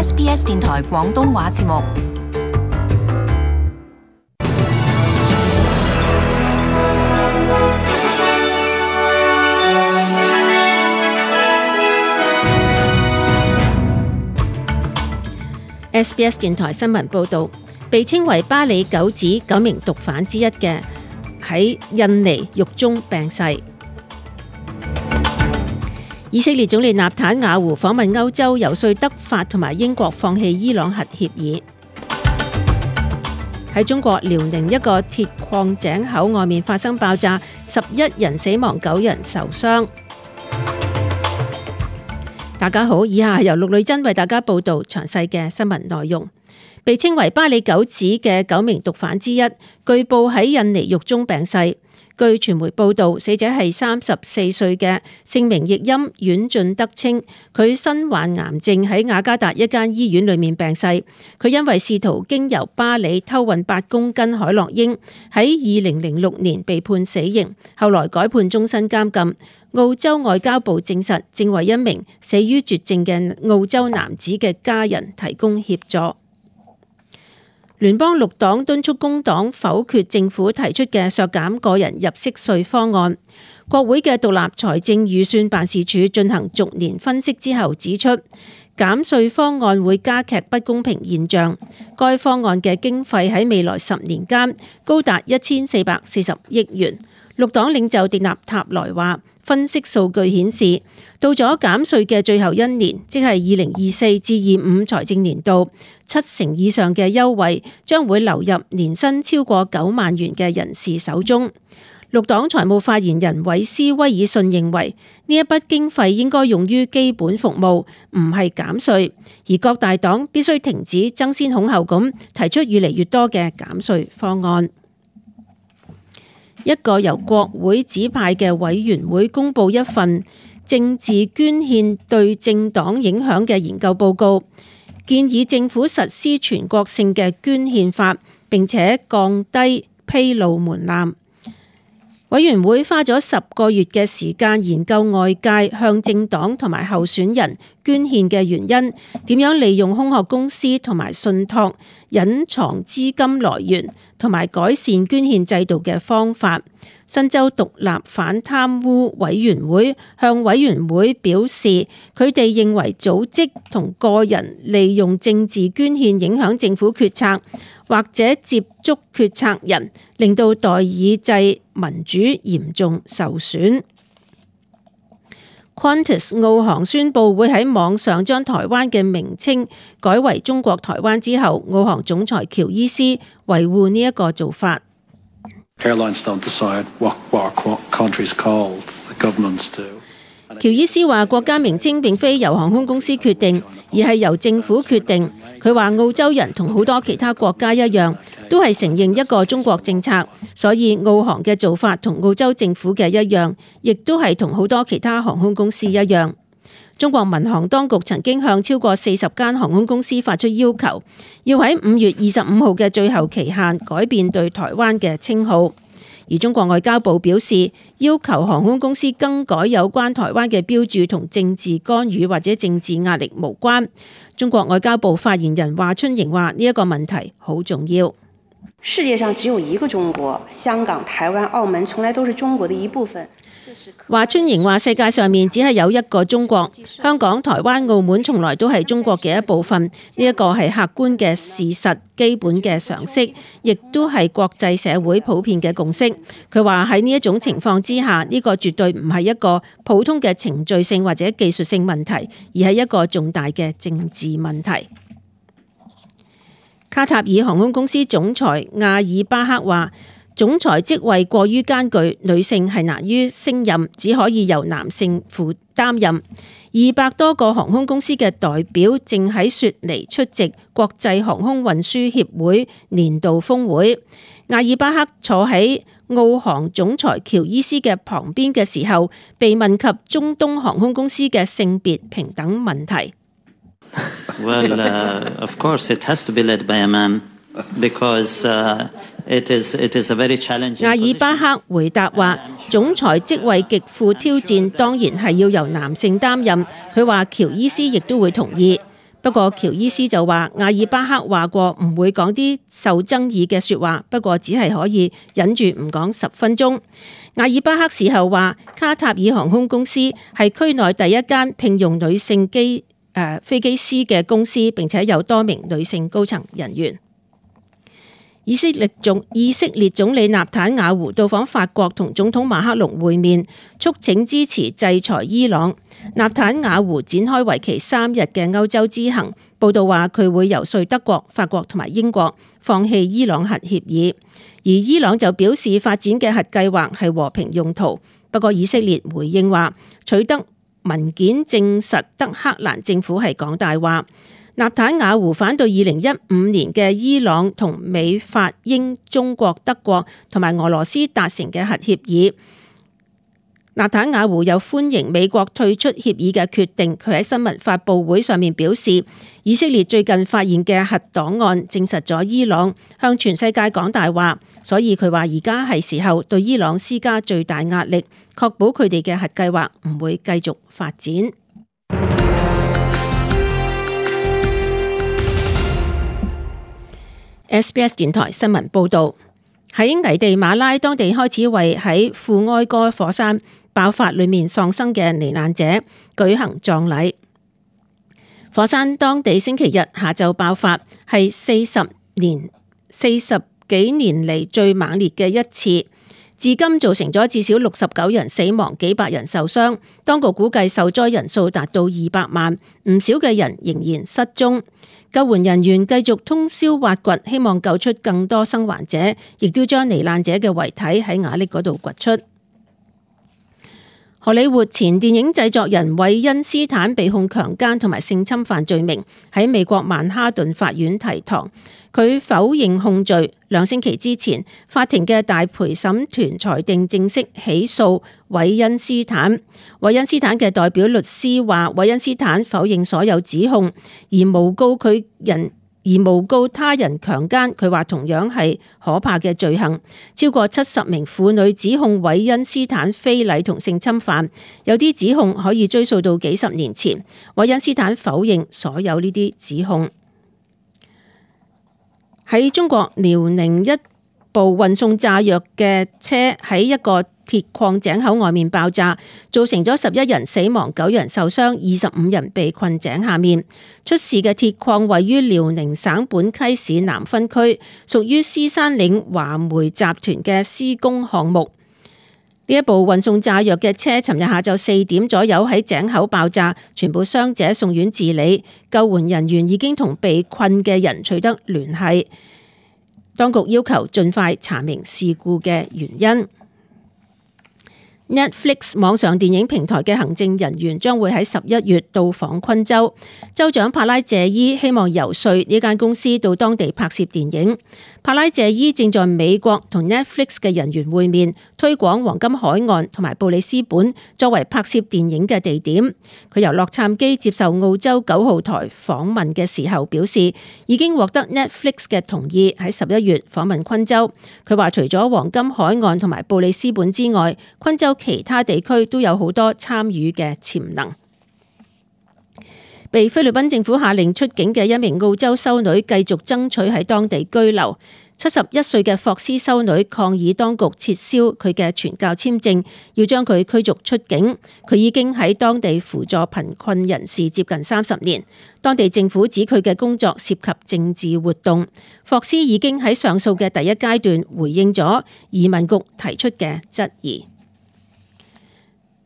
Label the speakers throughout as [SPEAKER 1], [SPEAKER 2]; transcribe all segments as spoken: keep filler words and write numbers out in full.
[SPEAKER 1] S B S 電台廣東話節目。
[SPEAKER 2] S B S 電台新聞報導，被稱為巴里九子九名毒販之一嘅喺印尼獄中病逝。以色列總理納坦雅胡訪問歐洲，游說德法同埋英國放棄伊朗核協議。喺中國遼寧一個鐵礦井口外面發生爆炸，十一人死亡，九人受傷。大家好，以下係由陸女真為大家報道詳細嘅新聞內容。被稱為巴里九子嘅九名毒販之一，據報喺印尼獄中病逝。據傳媒報道，死者係三十四歲嘅，姓名譯音阮俊德稱，佢身患癌症，喺雅加達一間醫院裏面病逝。佢因為試圖經由巴里偷運八公斤海洛英，喺二零零六年被判死刑，後來改判終身監禁。澳洲外交部證實，正為一名死於絕症嘅澳洲男子嘅家人提供協助。聯邦綠黨敦促工黨否決政府提出嘅削減個人入息稅方案。國會嘅獨立財政預算辦事處進行逐年分析之後指出，減稅方案會加劇不公平現象。該方案嘅經費喺未來十年間高達一千四百四十億元。綠黨領袖迪納塔萊話，分析數據顯示，到咗減稅嘅最後一年，即係二零二四至二五財政年度，七成以上嘅優惠將會流入年薪超過九萬元嘅人士手中。綠黨財務發言人韋斯威爾遜認為，呢一筆經費應該用於基本服務，唔係減稅，而各大黨必須停止爭先恐後咁提出越嚟越多嘅減稅方案。一個由國會指派嘅委員會公布一份政治捐獻對政黨影響嘅研究報告，建議政府實施全國性嘅捐獻法，並且降低披露門檻。委員會花咗十個月嘅時間研究外界向政黨同埋候選人捐獻嘅原因，點樣利用空殼公司同埋信託隱藏資金來源，同埋改善捐獻制度嘅方法。新州獨立反貪污委員會向委員會表示，佢哋認為組織同個人利用政治捐獻影響政府決策，或者接觸決策人，令到代議制民主嚴重受損。Qantas 澳航宣布會喺網上將台灣嘅名稱改為中國台灣之後，澳航總裁喬伊斯維護呢一個做法。
[SPEAKER 3] Airlines don't decide what our country's called, the governments do.
[SPEAKER 2] 喬伊斯話：國家名稱並非由航空公司決定，而係由政府決定。佢話澳洲人同好多其他國家一樣，都係承認一個中國政策，所以澳航嘅做法同澳洲政府嘅一樣，亦都係同好多其他航空公司一樣。中國民航當局曾經向超過四十間航空公司發出要求，要喺五月二十五號嘅最後期限改變對台灣嘅稱號。而中國外交部表示，要求航空公司更改有關台灣嘅標註同政治干預或者政治壓力無關。中國外交部發言人華春瑩話：呢一個問題好重要。
[SPEAKER 4] 世界上只有一個中國，香港、台灣、澳門從來都是中國的一部分。
[SPEAKER 2] 華春瑩話：世界上面只係有一個中國，香港、台灣、澳門從來都係中國嘅一部分，呢一個係客觀嘅事實、基本嘅常識，亦都係國際社會普遍嘅共識。佢話喺呢一種情況之下，呢個絕對唔係一個普通嘅程序性或者技術性問題，而係一個重大嘅政治問題。卡塔爾航空公司總裁亞爾巴克話：總裁職位過於艱巨，女性係難於勝任，只可以由男性負擔任。二百多個航空公司嘅代表正喺雪梨出席國際航空運輸協會年度峰會。亞爾巴克坐喺澳航總裁喬伊斯嘅旁邊嘅時候，被問及中東航空公司嘅性別平等問題。
[SPEAKER 5] Well, uh, of course, it has to be led by a man because uh, it is it is a very challenging.
[SPEAKER 2] 亞爾巴克回答話：總裁職位極富挑戰，當然係要由男性擔任。佢話喬伊斯亦都會同意。不過喬伊斯就話，阿爾巴克話過唔會講啲受爭議嘅說話，不過只係可以忍住唔講十分鐘。阿爾巴克事後話，卡塔爾航空公司係區內第一間聘用女性機誒、呃、飛機師嘅公司，並且有多名女性高層人員。以色列總以色列總理納坦雅胡到訪法國，同總統馬克龍會面，促請支持制裁伊朗。納坦雅胡展開為期三日嘅歐洲之行，報道話佢會游說德國、法國同埋英國放棄伊朗核協議，而伊朗就表示發展嘅核計劃係和平用途。不過以色列回應話，取得文件證實德黑蘭政府係講大話。納坦雅胡反對二零一五年嘅伊朗同美法英中國德國同埋俄羅斯達成嘅核協議。納坦雅胡又歡迎美國退出協議嘅決定。佢喺新聞發佈會上面表示，以色列最近發現嘅核檔案證實咗伊朗向全世界講大話，所以佢話而家係時候對伊朗施加最大壓力，確保佢哋嘅核計劃唔會繼續發展。S B S 電台新聞報道，喺危地馬拉當地開始為喺庫埃哥火山爆發裏面喪生嘅罹難者舉行葬禮。火山當地星期日下晝爆發，係四十年四十幾年嚟最猛烈嘅一次，至今造成咗至少六十九人死亡，幾百人受傷。當局估計受災人數達到二百萬，唔少嘅人仍然失蹤。救援人員繼續通宵挖掘，希望救出更多生還者，亦都將罹難者嘅遺體喺瓦礫嗰度掘出。荷里活前電影製作人韋恩斯坦被控強姦同埋性侵犯罪名，喺美國曼哈頓法院提堂，佢否認控罪。兩星期之前，法庭嘅大陪審團裁定正式起訴韋恩斯坦。韋恩斯坦嘅代表律師話，韋恩斯坦否認所有指控，而誣告佢人。而誣告他人強姦，佢話同樣係可怕嘅罪行。超過七十名婦女指控韋恩斯坦非禮同性侵犯，有啲指控可以追溯到幾十年前。韋恩斯坦否認所有呢啲指控。喺中國遼寧，一部運送炸藥嘅車喺一個鐵礦井口外面爆炸，造成咗十一人死亡、九人受傷、二十五人被困井下面。出事嘅鐵礦位於遼寧省本溪市南分區，屬於獅山嶺華煤集團嘅施工項目。呢一部運送炸藥嘅車，尋日下晝四點左右喺井口爆炸，全部傷者送院治理。救援人員已經同被困嘅人取得聯繫。當局要求盡快查明事故嘅原因。Netflix 網上電影平台嘅行政人員將會喺十一月到訪昆州，州長帕拉謝伊希望游說呢間公司到當地拍攝電影。帕拉謝伊正在美國同 Netflix 嘅人員會面，推廣黃金海岸同埋布里斯本作為拍攝電影嘅地點。佢由洛杉磯接受澳洲九號台訪問嘅時候表示，已經獲得 Netflix 嘅同意喺十一月訪問昆州。佢話除咗黃金海岸同埋布里斯本之外，昆州其他地區都有好多參與嘅潛能。被菲律賓政府下令出境嘅一名澳洲修女繼續爭取喺當地居留。七十一歲嘅霍斯修女抗議當局撤銷佢嘅傳教簽證，要將佢驅逐出境。佢已經喺當地輔助貧困人士接近三十年。當地政府指佢嘅工作涉及政治活動。霍斯已經喺上訴嘅第一階段回應咗移民局提出嘅質疑。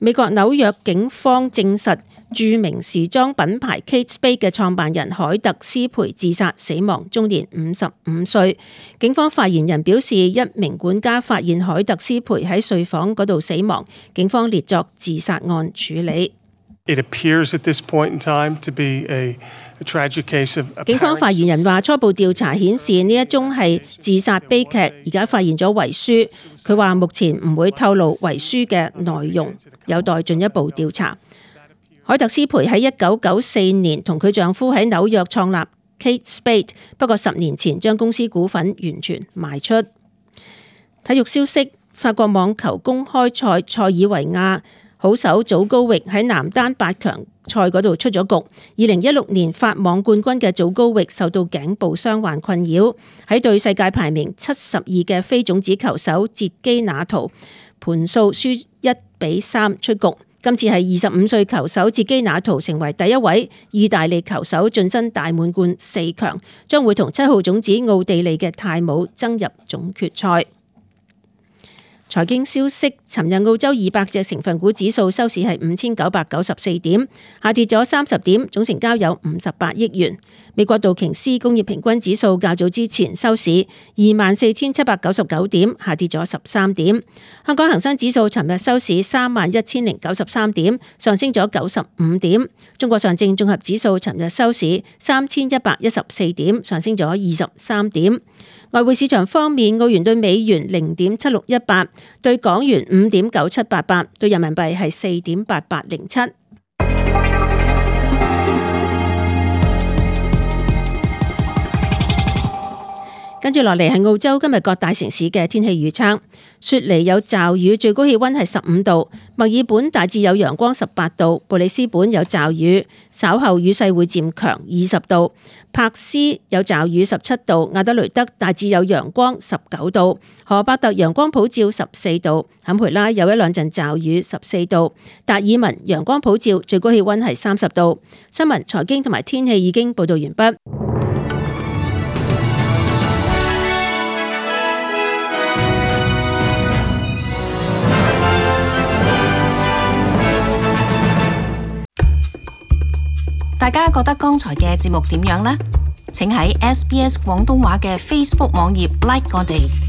[SPEAKER 2] 美國紐約警方證實，著名時裝品牌 Kate Spade 嘅創辦人凱特斯培自殺死亡，終年五十五歲。警方發言人表示，一名管家發現凱特斯培喺睡房嗰度死亡，警方列作自殺案處理。
[SPEAKER 6] It appears at this point in time to be a tragic case of apparent...
[SPEAKER 2] 警方發言人話，初步調查顯示呢一宗係自殺悲劇，而家發現咗遺書。佢話目前唔會透露遺書嘅內容，有待進一步調查。凱特斯培喺一九九四年同佢丈夫喺紐約創立 Kate Spade， 不過十年前將公司股份完全賣出。體育消息：法國網球公開賽塞爾維亞好手祖高域喺男單八強賽嗰度出咗局。二零一六年法網冠軍嘅祖高域受到頸部傷患困擾，喺對世界排名七十二嘅非種子球手捷基那圖盤數輸一比三出局。今次係二十五歲球手捷基那圖成為第一位意大利球手晉身大滿貫四強，將會同七號種子奧地利嘅泰姆爭入總決賽。財經消息，尋日澳洲二百隻成分股指數收市係五千九百九十四點，下跌咗三十點，總成交有五十八億元。美國道瓊斯工業平均指數較早之前收市二萬四千七百九十九點，下跌咗十三點。香港恒生指數尋日收市三萬一千零九十三點，上升咗九十五點。中國上證綜合指數尋日收市三千一百一十四點，上升咗二十三點。外匯市場方面，澳元對美元零點七六一八，對港元五點九七八八，對人民幣係四點八八零七。跟住落嚟係澳洲今日各大城市嘅天氣預測。雪梨有驟雨，最高氣溫係十五度；墨爾本大致有陽光，十八度；布里斯本有驟雨，稍後雨勢會漸強，二十度；柏斯有驟雨，十七度；亞德雷德大致有陽光，十九度；荷伯特陽光普照，十四度；坎培拉有一兩陣驟雨，十四度；達爾文陽光普照，最高氣溫係三十度。新聞、財經同埋天氣已經報道完畢。
[SPEAKER 1] 大家覺得剛才嘅節目點樣呢？請喺 S B S 廣東話嘅 Facebook 網頁 like 我哋。